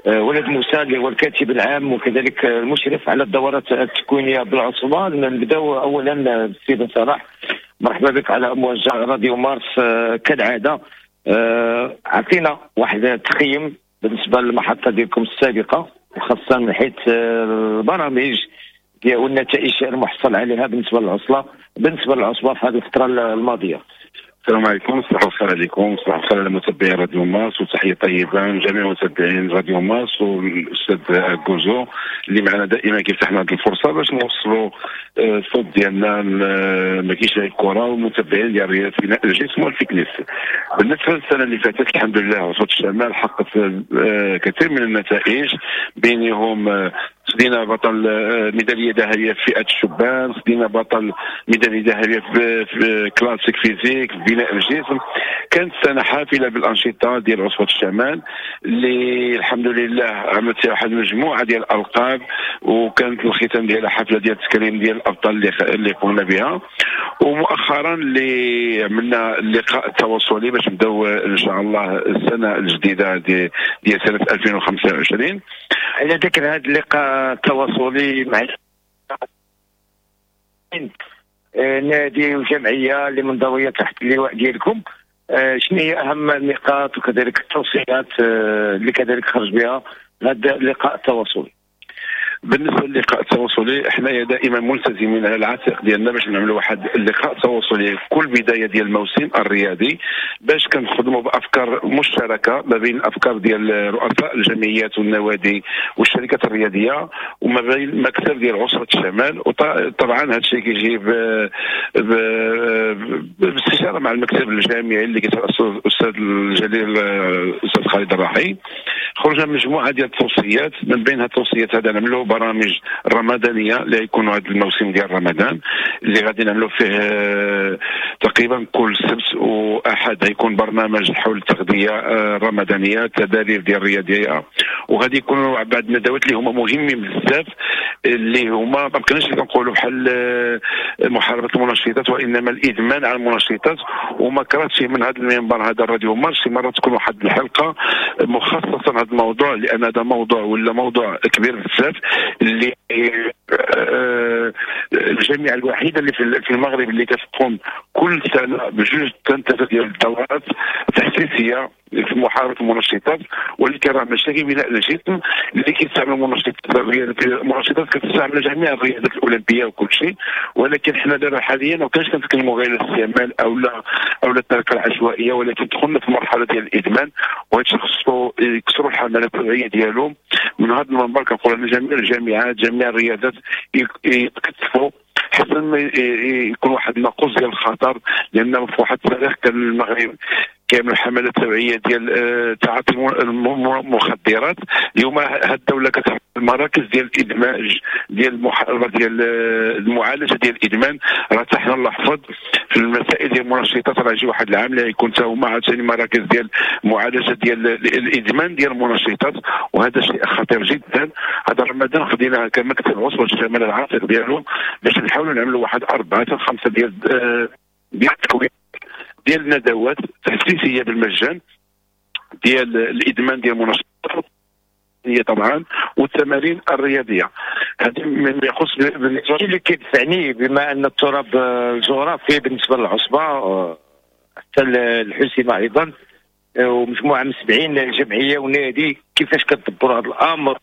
ولد موسى، اللي هو الكاتب العام وكذلك المشرف على الدورات التكوينيه بالعصبه. نبداو اولا بالسي بن صلاح، مرحبا بك على امواج راديو مارس كالعاده. عطينا واحد التقييم بالنسبة للمحطه ديالكم السابقه، وخاصة من حيث البرامج والنتائج المحصل عليها بالنسبه للعصبه في هذه الفترة الماضيه. السلام عليكم، صباح الخير عليكم، صباح الخير على متابعي راديو مارس، وتحية طيبة لجميع متابعين راديو مارس والاستاذ كوزو اللي معنا دائما كيفتح لنا هذه الفرصة باش نوصلوا الصوت ديالنا ما كاينش غير الكره والمتابعين ديال رياضة بناء الجسم وال fitness. بالنسبة للسنة اللي فاتت، الحمد لله عصبه الشمال حققت كثير من النتائج، بينهم خدينا بطل ميدالية ذهبية في فئة الشبان، خدينا بطل ميدالية ذهبية في classic physique في بناء الجسم. كانت سنة حافلة بالانشطه ديال عصبه الشمال، اللي الحمد لله عملت فيها واحد المجموعة ديال الالقاب، وكانت الختام ديالها حفلة ديال التكريم ديال الابطال اللي قمنا بها. ومؤخرا اللي عملنا اللقاء التواصلي باش نبداو ان شاء الله السنة الجديدة ديال سنة 2025. على ذكر هذا اللقاء التواصلي مع نادي وجمعية اللي منضويه تحت اللواء ديالكم، شنو هي اهم النقاط وكذلك التوصيات اللي كذلك خرج بها هذا اللقاء التواصلي؟ بالنسبة للقاء التواصلي، حنايا دائما ملتزمين على العاتق ديالنا باش نعملوا واحد اللقاء تواصلي في كل بداية ديال الموسم الرياضي، باش كنخدموا بافكار مشتركة ما بين الافكار ديال رؤساء الجمعيات والنوادي والشركات الرياضية وما بين المكتب ديال عصبه الشمال. وطبعا هذا الشيء كيجي باستشاره مع المكتب الجامعي اللي كيترأسه الاستاذ الجليل الاستاذ خالد الراحي. خرجنا مجموعة ديال التوصيات، من بين التوصيات هذا نعملوا برامج رمضانيه اللي يكونوا هذا الموسم ديال رمضان، اللي غادي نعملوا فيه تقريبا كل سبت واحد غيكون برنامج حول التغذية الرمضانيه، التدابير ديال الرياضيه، وغادي يكونوا بعض الندوات اللي هما مهمين بزاف، اللي هما ما بقيناش كنقولوا بحال محاربة المنشطات وانما الادمان على المنشطات. وما كرهتش من هذا المنبر هذا الراديو مارس شي مرة تكون واحد الحلقة مخصصة لهذا الموضوع، لان هذا موضوع ولا موضوع كبير بزاف، اللي الجامعة الوحيدة اللي في المغرب اللي كتقوم كل سنة بجوج ثلاثة ديال الدورات تحسيسيه في محاربة المنشطات. ولكن راه ماشي بناء الجسم اللي كيستعملوا المنشطات، المنشطات كتستعمل جميع الرياضات الاولمبية وكل شيء، ولكن حنا دابا حاليا ما كانش كنتكلموا غير الاستعمال او لا التركة العشوائيه، ولكن دخلنا في مرحلة ديال الادمان، وهذا الشيء خصو يكسروا الحملات التوعية ديالو. من هذا المنبر كنقول ان جميع الجامعات، جميع الرياضات يتكتفوا حتى ما يكون واحد الناقوس ديال الخطر، لان في واحد التاريخ كان المغرب كيعمل حملات توعيه ديال تعاطي المخدرات. اليوم هاد الدولة كتعمل مراكز ديال الادماج، ديال المحاربه، ديال المعالجة ديال الادمان. راه حتى حنا الله يحفظ في المسائل ديال المنشطات، راه يجي واحد العام اللي يكون حتى هما عاوتاني مراكز ديال معالجة ديال الادمان ديال المنشطات، وهذا شيء خطير جدا. هذا رمضان خدينا كمكتب عصبه الشمال العاتق ديالو باش نحاولوا نعملوا واحد اربعة حتى خمسة ديال التكوين ديال الندوات تحسيسيه بالمجان ديال الادمان ديال المنشطات هي طبعا والتمارين الرياضيه. هذه مما يخص بالنسبة اللي كيدفعني، بما ان التراب الجغرافي بالنسبة للعصبه حتى الحسيمه ايضا. ومجموعة من 70 جمعية ونادي، كيفاش كتدبروا هذا الامر؟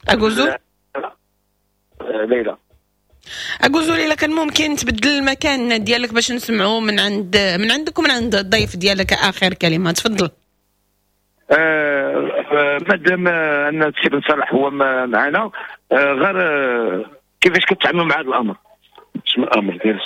اكوزول ليلى اكوزول، الا كان ممكن تبدل المكان ديالك باش نسمعوا من عندك ومن عند الضيف ديالك اخر كلمة، تفضل. مادام ان السي بن صالح هو معنا، غير كيفاش كتعاملوا مع هذا الامر؟ شنو الامر ديال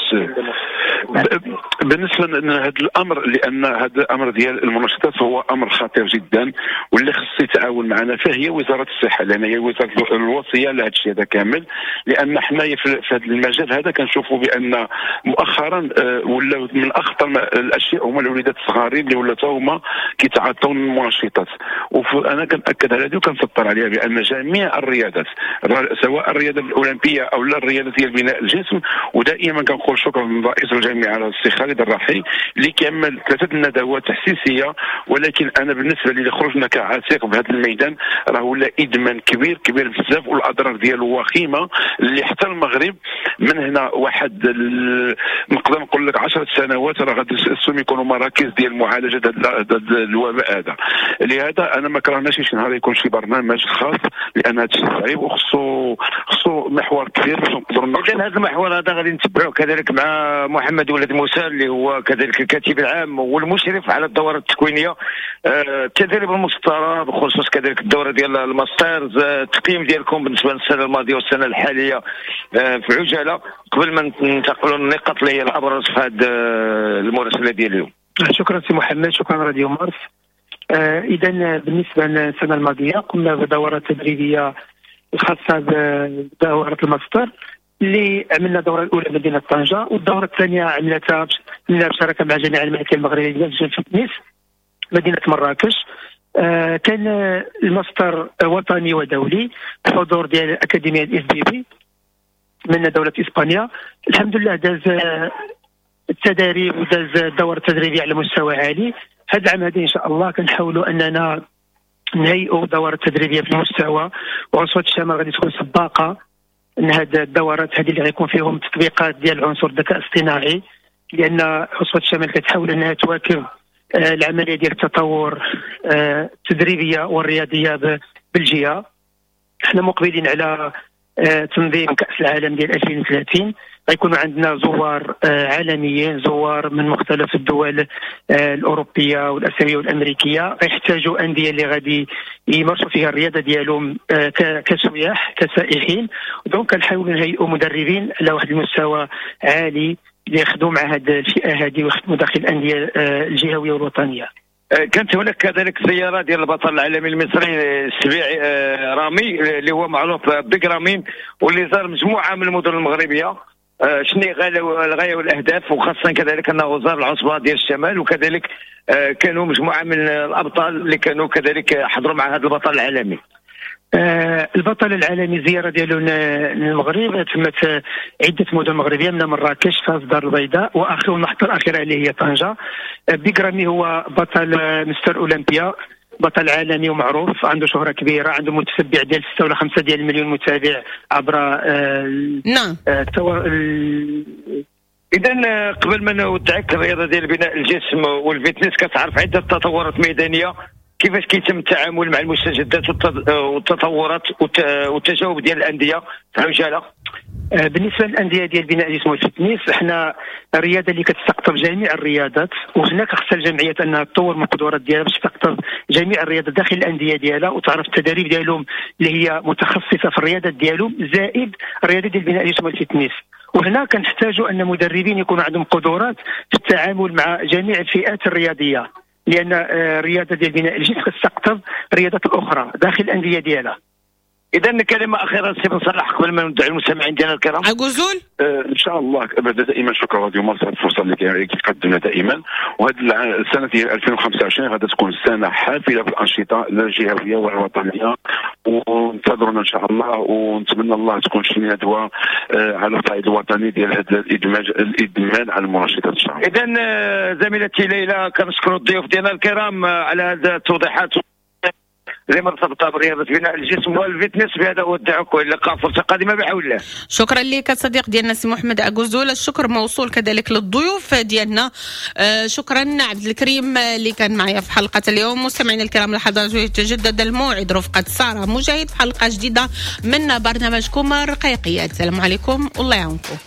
بالنسبة لهذا الامر؟ لان هذا الامر ديال المنشطات هو امر خطير جدا، واللي خص يتعاون معنا فهي وزارة الصحة، لان هي وزارة الوصية لهذا الشيء هذا كامل. لان حنايا في هذا المجال هذا كنشوفوا بان مؤخرا ولاو من اخطر الاشياء هما الوليدات الصغارين اللي ولاو هما كيتعاطوا المنشطات. وانا كنأكد على هذه وكنسطر عليها بان جميع الرياضات، سواء الرياضة الاولمبية او لا الرياضة ديال بناء الجسم، ودائما كنقول شكرا لرئيس الجامعة السي خالد الرحي اللي كيعمل 3 الندوات تحسيسيه. ولكن انا بالنسبة لي خرجنا كعاتق بهذا الميدان راه ولا ادمان كبير كبير بزاف، والاضرار ديالو وخيمة اللي حتى المغرب من هنا واحد نقدر نقول لك 10 سنوات راه غادي خصهم يكونوا مراكز ديال معالجة هذا الوباء هذا. لهذا انا ما كرهناش شي نهار يكون شي برنامج خاص، لان هذا الشيء صعيب وخصو محور كبير باش نقدروا نناقشوا. اذا هذا المحور هذا غادي نتبعوه كذلك مع محمد ولد موسى اللي هو كذلك الكاتب العام والمشرف على الدورة التكوينيه، التدريب المسطره بخصوص كذلك الدورة ديال ال masters، التقييم ديالكم بالنسبة للسنة الماضية والسنة الحالية في عجالة قبل ما ننتقلوا للنقاط اللي هي الابرز في هذه المراسله ديال اليوم. شكرا سي محمد، شكرا راديو مارس. اذا بالنسبة للسنة الماضية قمنا بدوره تدريبية الخاصة بدوره الماستر اللي عملنا الدورة الاولى مدينة طنجه، والدوره الثانية عملتها بشراكه مع جامعه الملكية المغربية في تونس مدينة مراكش. كان الماستر وطني ودولي بحضور ديال اكاديمية ال IFBB من دولة اسبانيا. الحمد لله داز التدريب وداز الدورة التدريبية على مستوى عالي. هذا العام هذا ان شاء الله كنحاولوا اننا نهيئوا دورات تدريبية في المستوى، وعصبه الشمال غادي تكون سباقه ان هاد الدورات هذه اللي غيكون فيهم تطبيقات ديال عنصر الذكاء الاصطناعي، لان عصبه الشمال كتحاول انها تواكب العملية ديال التطور التدريبية والرياضيه بالجهة. احنا مقبلين على تنظيم كاس العالم ديال 2030، غيكونوا عندنا زوار عالميين، زوار من مختلف الدول الاوروبية والاسيويه والامريكية، غيحتاجوا اندية اللي غادي يمارسوا فيها الرياضة ديالهم كسياح كسائحين. donc كنحاولوا نهيئوا مدربين على واحد المستوى عالي اللي يخدموا مع هذه الفئة هذه ويخدموا داخل الاندية الجهوية والوطنيه. كانت هناك كذلك زيارة ديال البطل العالمي المصري السبيعي رامي اللي هو معروف بيج رامين، واللي زار مجموعة من المدن المغربية. شنو الغاية والاهداف، وخاصة كذلك انه زار العصبة ديال الشمال، وكذلك كانوا مجموعة من الابطال اللي كانوا كذلك حضروا مع هذا البطل العالمي. البطل العالمي زيارة ديالو للمغرب تمت عده مدن مغربية، منها مراكش، فاس، الدار البيضاء، واخر المحطة الاخيرة اللي هي طنجه. بيج رامي هو بطل مستر اولمبيا، بطل عالمي ومعروف، عنده شهرة كبيرة، عنده متتبع ديال 6 ولا 5 ديال المليون متابع عبر نعم. اذا قبل ما نودعك، الرياضة ديال بناء الجسم وال fitness كتعرف عدة تطورات ميدانية، كيفاش كيتم التعامل مع المستجدات والتطورات والتجاوب ديال الاندية في عجالة؟ بالنسبة للاندية ديال بناء الجسم وال fitness، حنا الرياضة اللي كتستقطب جميع الرياضات، وهناك خصها الجمعيات انها تطور من القدرات ديالها باش تستقطب جميع الرياضات داخل الاندية ديالها، وتعرف التدريب ديالهم اللي هي متخصصة في الرياضات ديالهم، زائد الرياضة ديال بناء الجسم وال fitness. وهنا كنحتاجوا ان مدربين يكونوا عندهم قدرات في التعامل مع جميع الفئات الرياضية، لان الرياضة ديال بناء الجسم كتستقطب الرياضات الاخرى داخل الاندية ديالها. اذا كلمة اخيرة سي بن صلاح قبل ما ندعو المستمعين ديالنا الكرام. عكوزول ان شاء الله ابدا دائما شكرا راديو مارس على الفرصة اللي كتقدمنا دائما، وهذه السنة ديال 2025 غادي تكون سنة حافلة بالانشطه الجهوية والوطنيه، وانتظرونا ان شاء الله، ونتمنى الله تكون شي ندوه على الصعيد الوطني ديال هذا الادمان على المنشطات ان شاء الله. اذا زميلتي ليلى كنشكر الضيوف ديالنا الكرام على هذه التوضيحات. اللي مرتبطة برياضة بناء الجسم وال fitness. بهذا اودعك والى اللقاء فرصة قادمة بحول الله. شكرا لك الصديق ديالنا سي محمد اكوزول، الشكر موصول كذلك للضيوف ديالنا. شكرا عبد الكريم اللي كان معايا في حلقة اليوم. مستمعينا الكرام، لحظات يتجدد الموعد رفقه ساره مجاهد في حلقة جديدة من برنامجكم الرقيقيات. السلام عليكم والله يعاونكم.